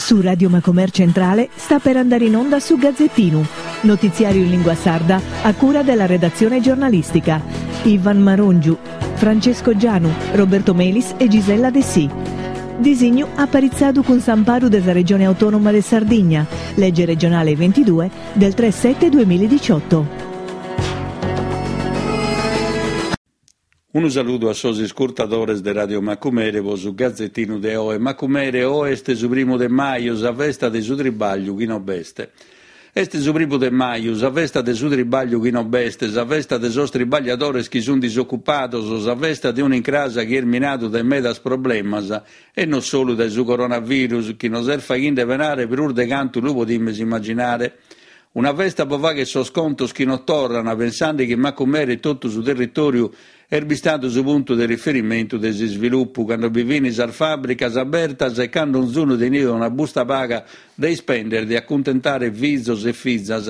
Su Radio Macomer Centrale sta per andare in onda su Gazzettinu, notiziario in lingua sarda a cura della redazione giornalistica. Ivan Marongiu, Francesco Gianu, Roberto Melis e Gisella Dessì. Disignu aparitzadu cun s'amparu de sa Regione Autonoma de Sardigna, lege regionale 22 del 3 7 2018. Unu saludu a sos iscurtadores de Radio Macumere po su Gazetinu de oe. Macumere, oe est su primu de maju, sa festa de su tribagliu chi no b'est. Est su primu de maju, sa festa de su tribagliu chi no b'est, sa festa de sos tribagliadores chi sunt disocupados, sa festa de un'incrasa chi est minadu dae medas problemas e no solu dae su coronavirus chi nos est faghinde penare prus de cantu lu podimus immaginare. Una festa po fagher sos contos chi no torran, pensande chi Macumere e totu su territòriu est bistadu su puntu de riferimentu de s'isvilupu, cando bi fin sas fàbricas abertas e cando onzunu teniat una busta paga de ispender de acuntentare fizos e fizas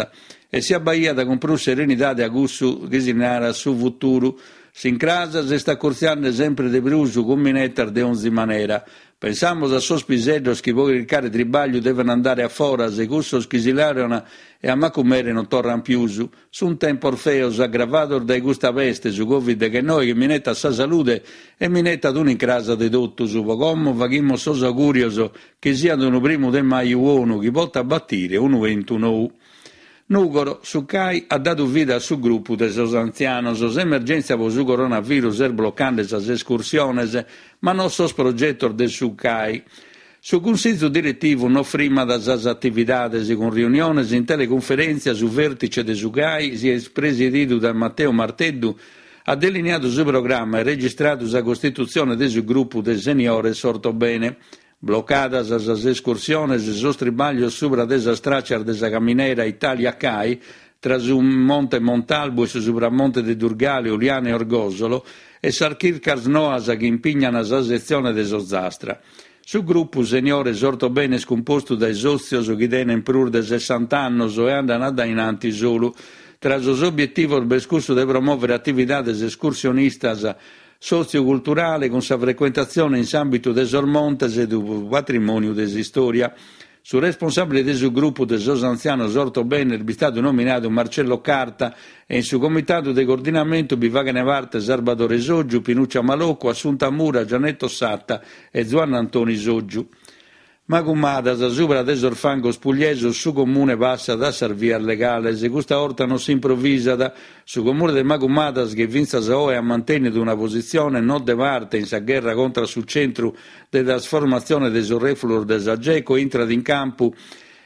e si abbaiat cun prus serenidade a cussu chi si narat su futuru. S'incrasa s'est acurtziande sempre de prus cun minetas de onzi manera. Pensamus a sos piseddos chi pro chircare tribagliu deven andare a foras e cussos chi si laurean e a Macumere non torran pius. Sunt tempos feos, aggravados dae custa peste, su Covid deghennoe chi minetat sa salude e minetat un'incrasa de totus. Pro como faghimus sos augurios chi siat unu primu de maju 'onu chi potat batire unu 'entu nou. Nùgoro, su CAI at dadu vida a su grupu de sos antzianos. S'emergèntzia pro su coronavirus est blocande sas escursiones, ma no sos progetos de su CAI. Su Cunsizu diretivu no frimmat sas atividades, cun riuniones in telecunferèntzia su vèrtice de su CAI, chi est presididu dae Matteo Marteddu, at deliniadu su programma e registradu sa costitutzione de su grupu de seniores Ortobene. Blocadas sas escursiones e sos tribaglios subra de sas tràcias de sa caminera Italia-Cai, tra su Monte Montalbu e su Supramonte de Durgali, Uliana e Orgòsolo, e sas chircas noas chi impignan sa setzione de s'Ozastra. Su grupu Seniores Ortobene est cumpostu dae sòtzios chi tenent prus de sessant'annos e andan a dae in antis solu. Tra sos obietivos b'est cussu de promòvere atividades escursionistas sòtziu-culturale cun sa frecuentatzione in s'àmbitu de sos montes e du patrimòniu de s'istòria. Su responsàbile de su grupu de sos antzianos Ortobene est bistadu nominadu Marcello Carta e in su comitadu de coordinamentu bi faghent parte Sarbadore Soggiu, Pinuccia Maloccu, Assunta Mura, Gianetto Satta e Zuanna Antoni Soggiu. Magumadas, subra de sos fangos pugliesos su Comune passat a sas vias legales. Custa 'orta non s'improvisat. Su Comune de Magumadas, chi fintzas a oe at mantènnidu una positzione no de parte in sa gherra contra su centru de trasformatzione de sos rèfulos de sa Geco, intrat in campu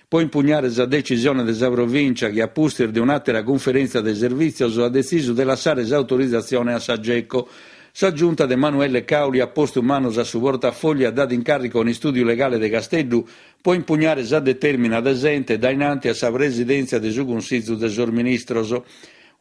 pro impugnare sa decisione de sa Provìncia chi, a pustis de un'àtera cunferèntzia de servìtzios, at detzisu de lassare s'autorizatzione a sa Geco. Sa Giunta de Manuelle Cauli at postu manos a su portafògliu e at dadu incàrricu a un'istùdiu legale de Casteddu pro impugnare sa detèrmina de s'ente dae in anti a sa presidèntzia de su Cunsizu de sos Ministros.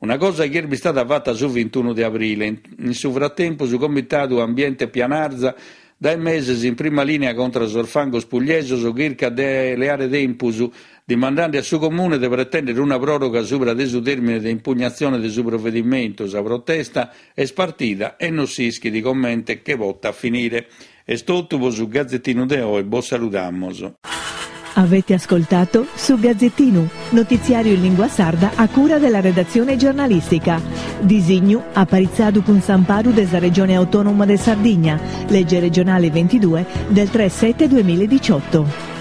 Una cosa chi est bistada fata su vintunu de abrile. In su fratempus su Comitadu Ambiente Pianarza Dae meses in prima lìnia contra sos fangos pugliesos chircat de leare tempus, dimandende a su Comune de pretèndere una pròroga subra de su tèrmine de impugnatzione de su provedimentu. Sa protesta est partida e non s'ischit comente che potat finire. Est totu pro su Gazetinu de oe, bos saludamus. Avete ascoltato Su Gazzettinu, notiziario in lingua sarda a cura della redazione giornalistica. Disignu aparitzadu cun s'amparu de sa Regione Autonoma de Sardigna, legge regionale 22 del 3 7 2018.